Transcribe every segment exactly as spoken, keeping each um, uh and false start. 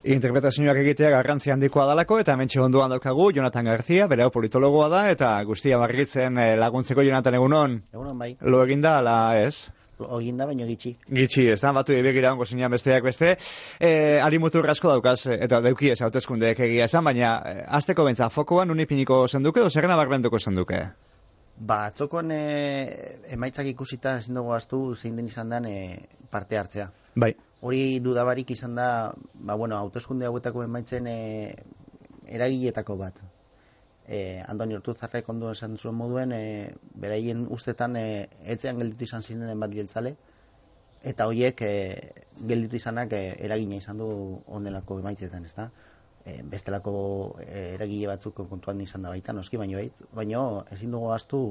Interpretazioak egitea garrantzi handikoa dalako, eta hementxe onduan daukagu Jonatan García, bere hau politologoa da, eta guztia barritzen laguntzeko. Jonatan, egunon? Egunon, bai. Lo eginda, ala ez? Lo eginda, baino gitxi. Gitxi, ez da, batu ebegira ongo zinean besteak beste. E, ari mutur asko daukaz, eta dauki ez hauteskundeek egia esan, baina azteko bentza, fokoan unipiniko zenduke, edo zerrena barbenduko zenduke? Ba, atzokoan e, emaitzak ikusita ezin dugu aztu zein den izan den e, parte hartzea. Bai. Hori dudabarik izan da, ba, bueno, hauteskunde hauetako emaitzen e, eragiletako bat. E, Andoni Ortuzarrek ondo esan zuen moduen, e, beraien ustetan e, etzean gelditu izan zinenen bat jeltzale, eta horiek e, gelditu izanak e, eragina izan du honelako emaitzetan, ezta? E, bestelako e, eragile batzuk kontuan izan da baita, noski, baino, baino ezin dugu ahaztu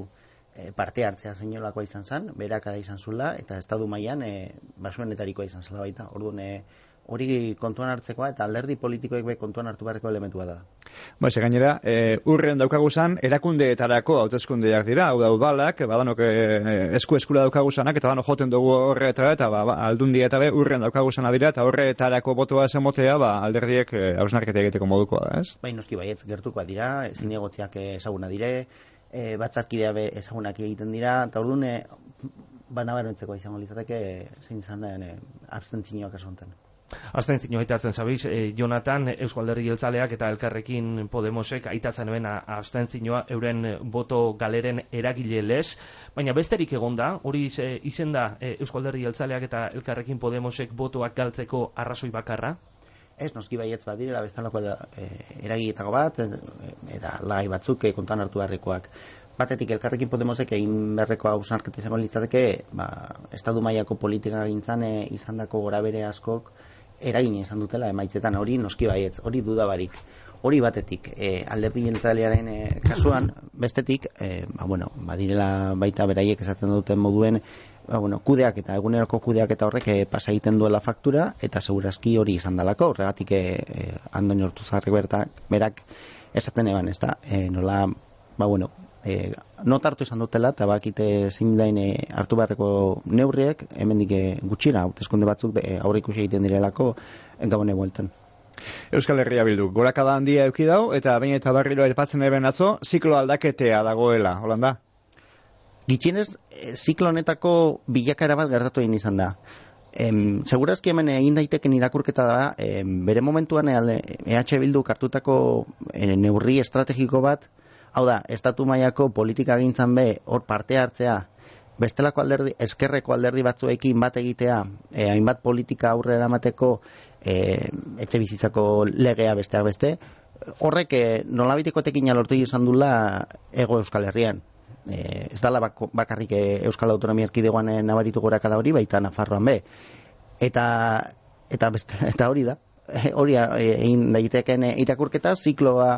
e, parte hartzea zeinolakoa izan zen, berakada izan zula, eta estadu mailan e, basuenetarikoa izan zela baita. Orduan, e, hori kontuan hartzekoa eta alderdi politikoek be kontuan hartu beharreko elementua da. Ba, ze gainera, e, urren daukagu zan, erakundeetarako hauteskundeak dira, hau da udalak, badanok e, esku eskura daukagu zanak, eta bano joten dugu horretara, eta ba, aldundia eta be, urren daukagu zana dira, eta horretarako botoa zemotea, ba, alderdiek e, hausnarketa egiteko modukoa da, ez? Bai, noski baietz, gertukoa dira, zinegotziak ezaguna dire, e, batzarkidea be ezagunak egiten dira, eta orduan, e, banabarentzeko izango litzateke, zein izan den e, abstentzioak kasu honetan. Abstentzioa aitatzen zabiz, eh, Jonatan, Eusko Alderdi Jeltzaleak eta Elkarrekin Podemosek aitatzen hemen abstentzioa euren boto galeren eragile lez, baina besterik egonda, hori izen da eh, Eusko Alderdi Jeltzaleak eta Elkarrekin Podemosek botoak galtzeko arrazoi bakarra? Ez, noski baietz badirela bestalako e, eragiletako bat, e, eta lagai batzuk e, kontuan hartu beharrekoak. Batetik Elkarrekin Podemosek egin beharreko hausnarketa izango litzateke, ba, estadu mailako politika gintzan e, izandako gorabere askok eragina izan dutela emaitzetan, hori noski baietz, hori dudabarik. Hori batetik, e, alderdi jeltzalearen e, kasuan, bestetik, e, ba, bueno, badirela baita beraiek esaten duten moduen, ba, bueno, kudeak eta eguneroko kudeak eta horrek e, pasa egiten duela faktura, eta segurazki hori izan dalako, horregatik e, e, Andoni Ortuzarrek bertak, berak esaten eban, ez da, e, nola, ba, bueno, E, not hartu izan dutela eta bakite zein dain e, hartu beharreko neurriek hemendik e, gutxira hauteskunde batzuk e, aurre ikusi egiten direlako gabone bueltan. Euskal Herria Bildu gorakada handia eduki dau eta baina eta berriro aipatzen eben atzo ziklo aldaketea dagoela, holanda? Gitxienez, e, ziklo honetako bilakaera bat gertatu egin izan da. Em, segurazki hemen egin daiteken irakurketa da, em, bere momentuan e, E H Bilduk hartutako e, neurri estrategiko bat. Hau da, estatu mailako politika gintzan be, hor parte hartzea, bestelako alderdi, eskerreko alderdi batzuekin bat egitea, e, hainbat politika aurrera emateko e, etxe bizitzako legea besteak beste, horrek e, nolabiteko tekina lortu izan dula Hego Euskal Herrian. E, ez dala bak, bakarrik Euskal Autonomia Erkidegoan nabaritu gorakada hori, baita Nafarroan be. Eta, eta, beste, eta hori da, hori egin daiteken irakurketa, zikloa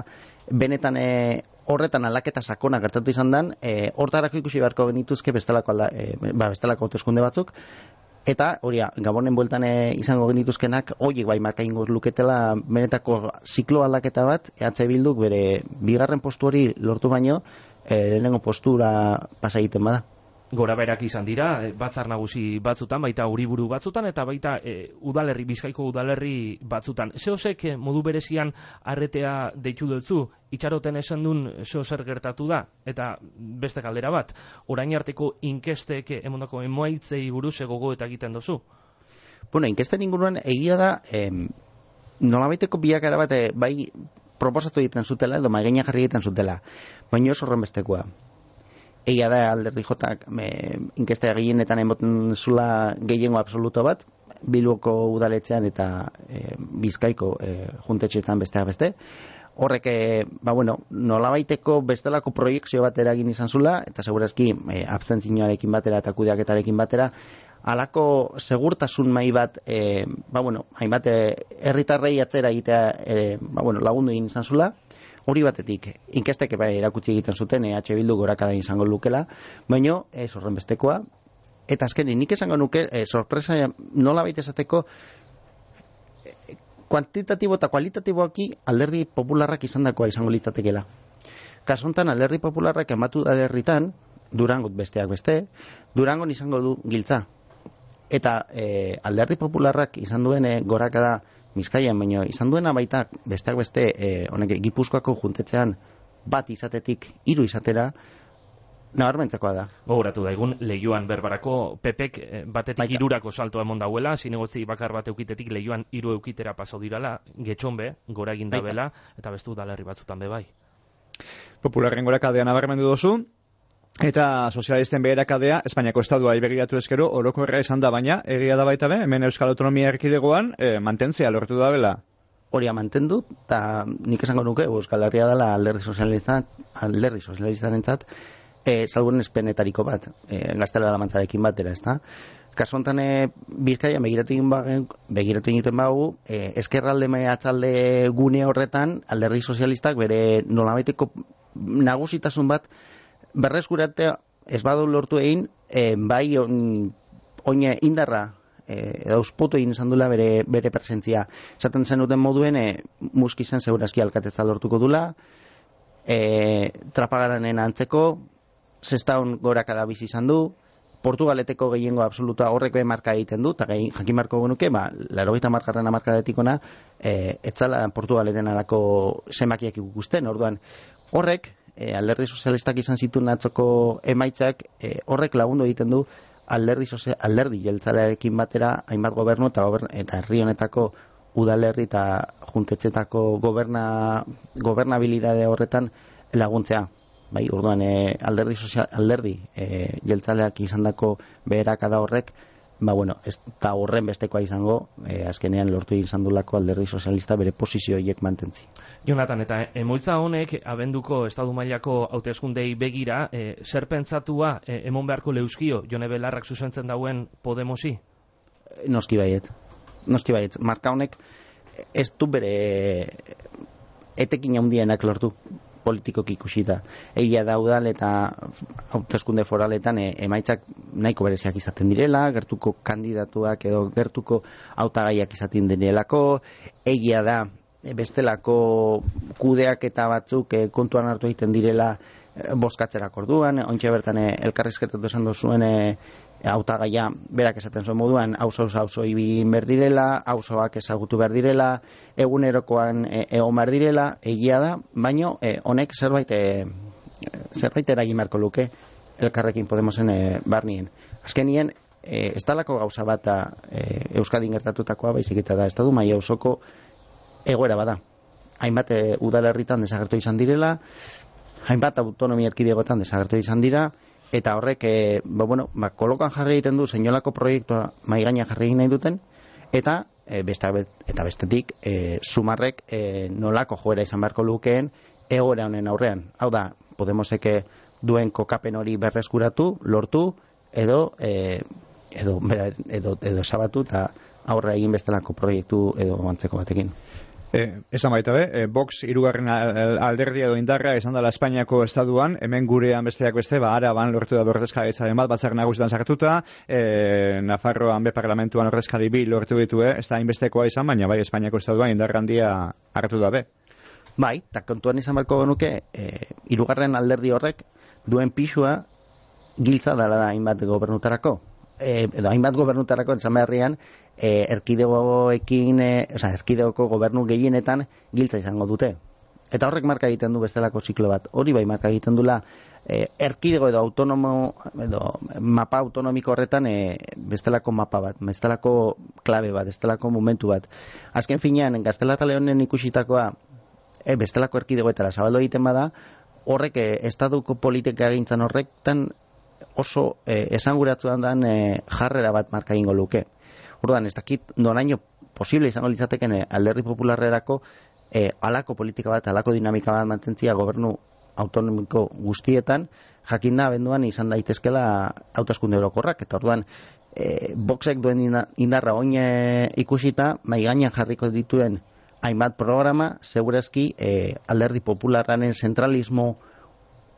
benetan e, horretan aldaketa sakona gertatu izan den, e, hortarako ikusi beharko genituzke bestelako, alda, e, ba, bestelako hauteskunde batzuk, eta hori Gabonen bueltan e, izango genituzkenak horiek bai marka ingo luketela benetako ziklo aldaketa bat, E H Bilduk bere bigarren postu hori lortu baino, e, lehenengo postura pasa egiten bada. Gora berak izan dira, batzar nagusi batzutan, baita uriburu batzutan, eta baita e, udalerri, Bizkaiko udalerri batzutan. Zeosek modu berezian arretea deitu dutzu, itxaroten esan duen zeo zer gertatu da, eta beste galdera bat, orain arteko inkestek emondako emoaitzei buruz gogo eta egiten duzu? Bueno, inkesten inguruan egia da, em, nolabaiteko bilakara bat e, bai proposatu egiten zutela, edo maigaina jarri egiten zutela, baina oso horren bestekoa. Egia da alderdi jotak inkesta gehienetan emoten zula gehiengo absoluto bat, Bilboko udaletxean eta e, Bizkaiko e, juntetxeetan besteak beste. Horrek, e, ba bueno, nolabaiteko bestelako proiekzio bat eragin izan zula, eta segurazki e, abstentzioarekin batera eta kudeaketarekin batera, halako segurtasun mai bat, e, ba bueno, hainbat herritarrei atzera egitea e, ba bueno, lagundu egin izan zula. Hori batetik, inkestek bai erakutsi egiten zuten E H Bildu gorakada izango lukela, baina ez horren bestekoa. Eta azkenik nik esango nuke, e, sorpresa nola baita esateko, e, kuantitatibo eta kualitatiboaki alderdi popularrak izandakoa izango litzatekeela. Kasu honetan alderdi popularrak ematu da herritan, Durangot besteak beste, Durangon izango du giltza. Eta e, alderdi popularrak izan duen e, gorakada Bizkaian, baina izan duena baita besteak beste e, honek Gipuzkoako juntetzean bat izatetik hiru izatera nabarmentzekoa da. Gogoratu daigun, Leioan berbarako Pepek eh, batetik hirurako saltoa emon dauela, zinegotzi bakar bat eukitetik Leioan hiru eukitera paso dirala, getxonbe, gora egin dabela, eta bestu udalerri batzutan be bai. Popularren gorakadea nabarmendu dozu, eta sozialisten beherakadea Espainiako estadua begiratu ezkero orokorra izan da, baina egia da baita be, hemen Euskal Autonomia Erkidegoan e, mantentzea lortu da bela. Horia mantendu, eta nik esango nuke Euskal Herria dela alderdi sozialista, alderdi sozialistarentzat, e, salbuen espenetariko bat, e, gaztela lamantzarekin batera, ez da? Kasu honetan e, Bizkaia begiratu egin begiratu egiten bagu, e, eskerralde mehatzalde gune horretan alderdi sozialistak bere nolabaiteko nagusitasun bat berreskuratea ez badu lortu egin, e, bai on, oine indarra e, edo auspotu egin izan dula bere, bere presentzia. Esaten zenuten moduen, e, muskizen segurazki alkatetza lortuko dula, e, trapagaranen antzeko, zestaun gorakada bizi izan du, Portugaleteko gehiengo absoluta horrek be marka egiten du, eta jakin marko genuke, ba, laurogeita markarren hamarkadetik ona, e, etzala Portugaleten arako zemakiak ikusten, orduan horrek, e, alderdi sozialistak izan zituen atzoko emaitzak, e, horrek lagundu egiten du alderdi, sozial, alderdi jeltzalearekin batera, hainbat gobernu eta, gobernu, eta herri honetako udalerri eta juntetxetako goberna, gobernabilidade horretan laguntzea. Bai, orduan e, alderdi sozial, alderdi e, jeltzaleak izandako beherakada horrek, ba bueno, ez da horren bestekoa izango, e, azkenean lortu izan dulako alderdi sozialista bere posizio horiek mantentzi. Jonatan, eta emoitza honek abenduko estadu mailako hauteskundei begira, e, zer pentsatua e, emon beharko leuskio Jone Belarrak zuzentzen dauen Podemosi? Noski baiet. Noski baiet. Marka honek ez du bere etekin handienak lortu politikoki ikusita. Egia da udal eta hauteskunde foraletan e, emaitzak nahiko bereziak izaten direla, gertuko kandidatuak edo gertuko hautagaiak izaten direlako, egia da e, bestelako kudeak eta batzuk e, kontuan hartu egiten direla e, bozkatzerak orduan, ontxe bertan e, elkarrizketatu esan duzuen e, hautagaia berak esaten zuen moduan auzo auzo ibin ber direla, auzoak ezagutu behar direla, egunerokoan e, egon behar direla, egia da, baino e, honek zerbait e, zerbait eragin beharko luke elkarrekin Podemosen e, barnien. Azkenien e, ez dalako gauza bat e, Euskadin gertatutakoa baizik eta da estadu maila osoko egoera bada. Hainbat e, udalerritan desagertu izan direla, hainbat autonomia erkidegoetan desagertu izan dira, eta horrek, e, ba, bueno, ba, kolokan jarri egiten du zeinolako proiektua maigaina jarri egin nahi duten, eta e, besta, eta bestetik e, sumarrek e, nolako joera izan beharko lukeen egoera honen aurrean. Hau da, Podemosek duen kokapen hori berreskuratu, lortu, edo e, edo, edo, edo esabatu eta aurre egin bestelako proiektu edo antzeko batekin. Eh, esan baita be, eh, Vox hirugarren alderdia edo indarra izan dela Espainiako estaduan, hemen gurean besteak beste, ba, Araban lortu da ordezkaritzaren bat, batzar nagusietan sartuta, eh, Nafarroan be parlamentuan ordezkari bi lortu ditu, ez da inbestekoa izan, baina bai Espainiako estaduan indarra handia hartu da be. Bai, eta kontuan izan beharko genuke, eh, hirugarren alderdi horrek duen pixua giltza dela da hainbat gobernutarako. E, edo hainbat gobernutarako entzan beharrian e, erkidegoekin e, oza, erkidegoko gobernu gehienetan giltza izango dute. Eta horrek marka egiten du bestelako ziklo bat. Hori bai marka egiten dula e, erkidego edo autonomo edo mapa autonomiko horretan e, bestelako mapa bat, bestelako klabe bat, bestelako momentu bat. Azken finean, Gaztela eta Leonen ikusitakoa e, bestelako erkidegoetara zabaldu egiten bada, horrek e, estaduko politika egintzan horrektan oso eh, esanguratzuan dan eh, jarrera bat marka egingo luke. Orduan, ez dakit noraino posible izango litzateken eh, alderdi popularrerako eh, alako politika bat, alako dinamika bat mantentzia gobernu autonomiko guztietan, jakinda abenduan izan daitezkela hauteskunde orokorrak, eta orduan eh, Voxek duen indarra oin eh, ikusita, mai gainean jarriko dituen hainbat programa, segurazki eh, alderdi popularraren zentralismo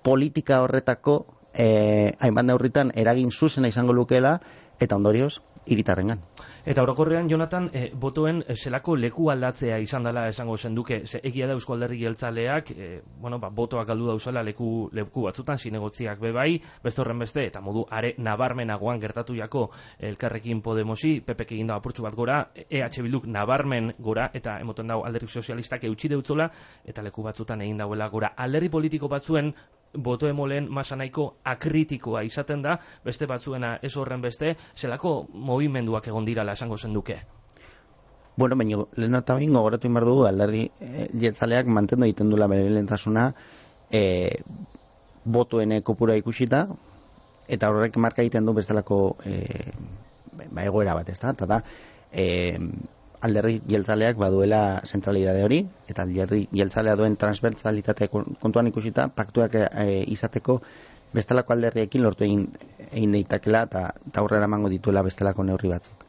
politika horretako Eh, hainbat neurritan eragin zuzena izango lukeela, eta ondorioz hiritarrengan. Eta orokorrean, Jonathan, e, botoen e, zelako leku aldatzea izan dela esango zenduke, ze egia da Euzko Alderdi Jeltzaleak, e, bueno, ba, botoak galdu dauzela leku, leku batzutan, zinegotziak bebai, beste horren beste, eta modu are nabarmenagoan gertatu jako Elkarrekin Podemosi, P P K egin da apurtxu bat gora, E H Bilduk nabarmen gora, eta emoten dago Alderdi Sozialistak eutxi deutzola, eta leku batzutan egin dauela gora. Alderdi politiko batzuen boto emolen masa nahiko akritikoa izaten da, beste batzuena ez horren beste, zelako movimenduak egon dirala esango zenduke? Bueno, baina lehen eta bain gogoratu inbar dugu Alderdi e, Jeltzaleak mantendu egiten dula bere lehentasuna e, botoen kopura ikusita, eta horrek marka egiten du bestelako e, ba, egoera bat, ez da? Eta da, e, Alderdi Jeltzaleak baduela zentralidade hori, eta Alderdi Jeltzalea duen transbertsalitate kontuan ikusita, paktuak e, izateko bestelako alderriekin lortu egin, egin deitakela, eta aurrera emango dituela bestelako neurri batzuk.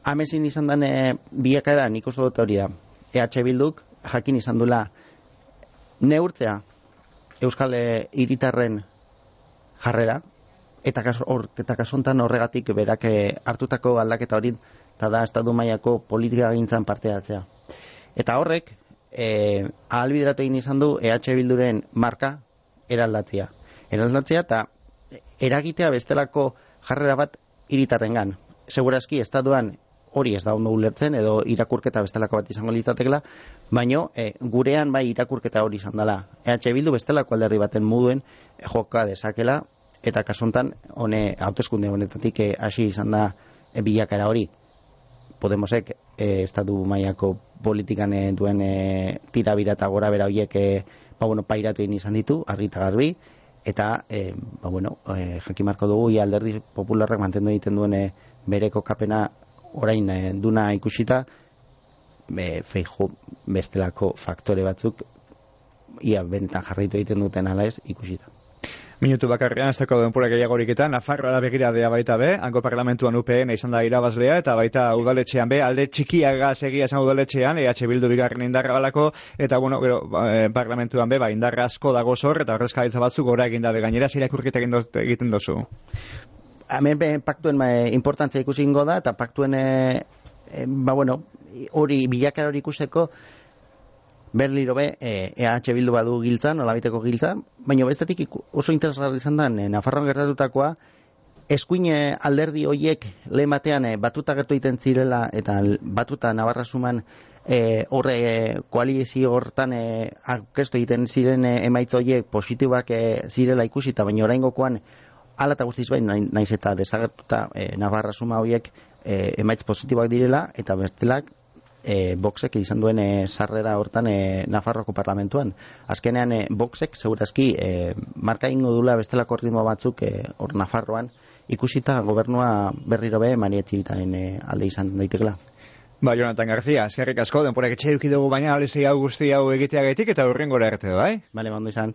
Hamezin izan den e, biakaera nik uste dut hori da. E H Bilduk jakin izan dula neurtzea Euskal hiritarren jarrera, eta kaso, or, eta kasontan horregatik berak hartutako aldaketa hori, eta da estatu mailako politika gintzan parte hartzea. Eta horrek, e, ahalbideratu egin izan du E H Bilduren marka eraldatzea. Eraldatzea eta eragitea bestelako jarrera bat hiritarrengan. Segurazki, estatuan hori ez da ondo ulertzen, edo irakurketa bestelako bat izango litzatekela, baino e, gurean bai irakurketa hori izan dela. E H Bildu bestelako alderdi baten moduen e, joka dezakela, eta kasuntan hone hauteskunde honetatik hasi izan da e, bilakara hori. Podemosek e, estatu mailako politikan e, duen e, tirabira eta gora bera horiek e, ba, bueno, pairatu egin izan ditu, argi eta garbi, eta e, ba, bueno, e, jakimarko dugu ia Alderdi Popularrak mantendu egiten duen e, bere kokapena orain e, duna ikusita, e, Feijóo bestelako faktore batzuk ia benetan jarraitu egiten duten ala ez ikusita. Minutu bakarrean, ez dago denpura gehiagorik eta Nafarroara begiradea baita be, hango parlamentuan U P N izan da irabazlea, eta baita udaletxean be, alde txikiaga segia esan udaletxean, E H Bildu bigarren indarra balako, eta bueno, gero, eh, parlamentuan be, ba, indarra asko dago zor, eta horrezkaritza batzuk gora egin dabe gainera, zirakurketa egiten dozu. Hemen be, paktuen e, importantzia ikusi ingo da, eta paktuen, e, e, ba bueno, hori bilakara hori ikusteko, Berliro be, E H Bildu badu giltzan, olabiteko giltzan, baina bestetik oso interesgarri izan da, e, Nafarroan gertatutakoa, eskuin alderdi hoiek lehen batean e, batuta gertu egiten zirela, eta batuta Navarra suman e, horre e, koalizio hortan e, aurkeztu egiten ziren e, emaitza hoiek positibak e, zirela ikusita, baina oraingokoan hala eta guztiz bain, naiz eta desagertuta e, Navarra suma hoiek e, emaitz positiboak direla, eta bestelak E, Voxek izan duen e, sarrera hortan e, Nafarroko parlamentuan. Azkenean e, Voxek segurazki e, marka ingo dula bestelako ritmo batzuk e, hor Nafarroan ikusita gobernua berriro be Maria Txibitaren e, alde izan daitekela. Ba, Jonathan García, eskerrik asko, denporak etxe duki dugu baina alezei hau guzti hau egiteagaitik eta hurrengora arte, bai? Bale, bando izan.